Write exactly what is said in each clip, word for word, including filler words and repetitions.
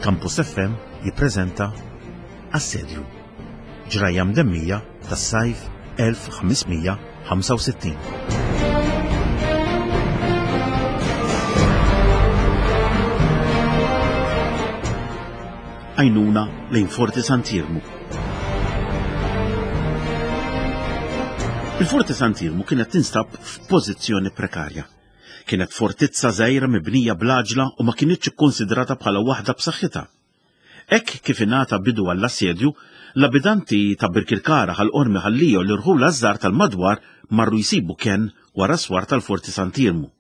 Campus F M jippreżenta Assedju, ġrajja mdemmija tas-sajf elf ħames mija ħamsa u sittin. Għajnuna lejn Forti Sant'Iermu. Il-Forti Sant'Iermu kienet tinstab f'pożizzjoni prekarja. Kienet fortizza żgħira mibnija bl-għaġla u ma kinitx ikkonsidrata bħala waħda b'saħħitha. Hekk kif ingħata bidu għall-assedju, l-abitanti ta' Birkirkara Ħal Qormi Ħal Lija u l-irħula żgħar tal-madwar marru jsibu kenn wara swar tal-Forti Sant'Iermu.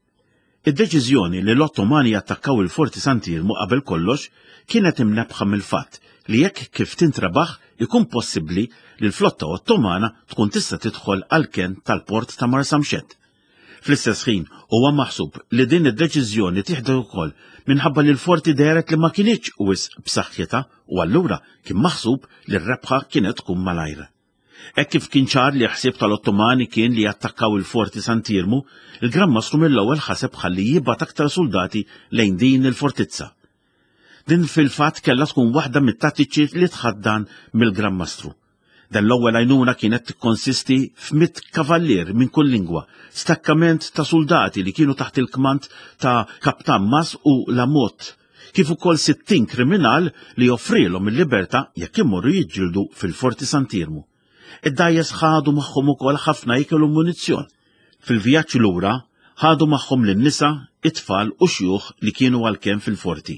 Id-deċiżjoni li l-Ottomani attakkaw il-Forti Sant'Iermu qabel kollox kienet imnebħa mill-fatt li jekk kif tintrabaħ ikun possibbli li l-flotta Ottomana tkun tista' tidħol għall-kenn tal-port ta' Marsamxett. Fl-istess ħin huwa maħsub li din id-deċiżjoni tieħdu wkoll minħabba li l-forti dehret li ma kinitx wisq b'saħħitha u allura kien maħsub li r-rebħa kienet tkun malajr. Hekk kif kien ċar li ħsieb tal-Ottomani kien li jattakkaw il-Forti Sant'Iermu, il-Gran Mastru mill-ewwel ħaseb ħalli jibgħat aktar soldati lejn din il-fortizza. Din fil-fatt kellha tkun waħda mit-tattiċi li tħaddan mill-Gran Mastru. Dan l-ewwel għajnuna kienet tikkonsisti f'mitt kavallier minn kull lingwa, stakkament ta' soldati li kienu taħt il-kmand ta' Kaptan Mas u Lamot, kif ukoll sittin kriminal li offrilhom il-libertà jekk imorru jiġġieldu fil-Forti Sant'Iermu. Id-dgħajjes ħadu magħhom ukoll ħafna ikel u munizzjon. Fil-vjaġġ lura ħadu magħhom lin-nisa, it-tfal u xjuħ li kienu għalkemm fil-forti.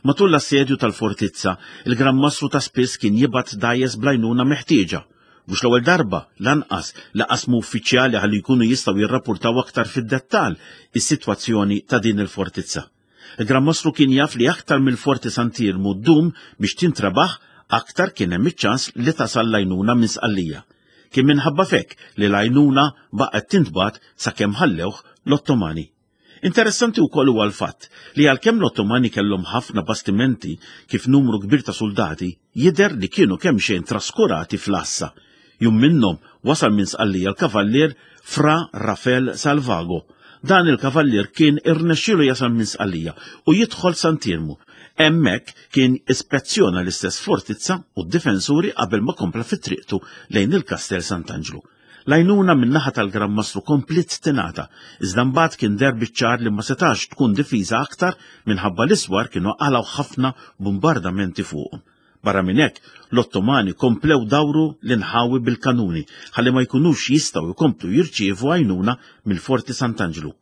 Matul l-assedju tal-fortizza, il-Gran Mastru ta' spiss kien jibgħat dgħajjes bl-għajnuna meħtieġa. Mhux l-ewwel darba lanqas li qasmu uffiċjali ħalli jkunu jistgħu jirrapportaw aktar fid-dettall is-sitwazzjoni ta' din il-fortizza. Il-Gran Mastru kien jaf li aktar mill-Forti Sant'Iermu ddum biex tintrabaħ, aktar kien hemm iċ-ċans li tasal l-għajnuna minn Sqallija. Kien minħabba fek li l-għajnuna baqgħet tintbagħat sakemm ħallewh l-Ottomani. Interessanti wkoll huwa l-fatt li għalkemm l-Ottomani kellhom ħafna bastimenti kif numru kbir ta' soldati, jidher li kienu kemm xejn traskurati fl-għassa. Jum minnhom wasal minn Sqallija l-kavallier Fra Rafael Salvago. Dan il-kavallier kien irnexxielu jasal minn Sqallija u jidħol Sant'Iermu. Hemmhekk kien ispezzjona l-istess fortizza u d-difensuri qabel ma kompla fit-triqtu lejn il-Kastel Sant'Anġlu. L-għajnuna min-naħa tal-Gran Mastru komplet tingħata, iżda mbagħad kien deher biċ-ċar li ma setax tkun difiża aktar minħabba l-iswar kienu qalgħu ħafna bombardamenti fuqhom. Barra minn hekk, l-Ottomani komplew dawru l-inħawi bil-kanuni ħalli ma jkunux jistgħu jkomplu jirċievu għajnuna mill-Forti Sant'Anġlu.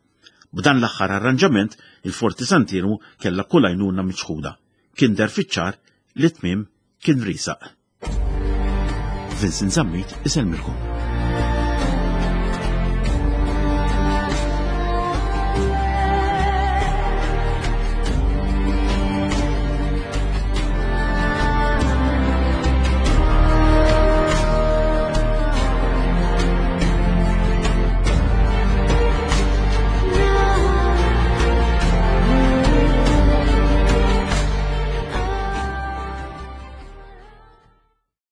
B'dan l-aħħar arranġament, il-Forti Sant'Iermu kellha kull għajnuna miċħuda. Kien deher fiċ-ċar li tmiem kien risaq. Vincent Zammit isellmilkom.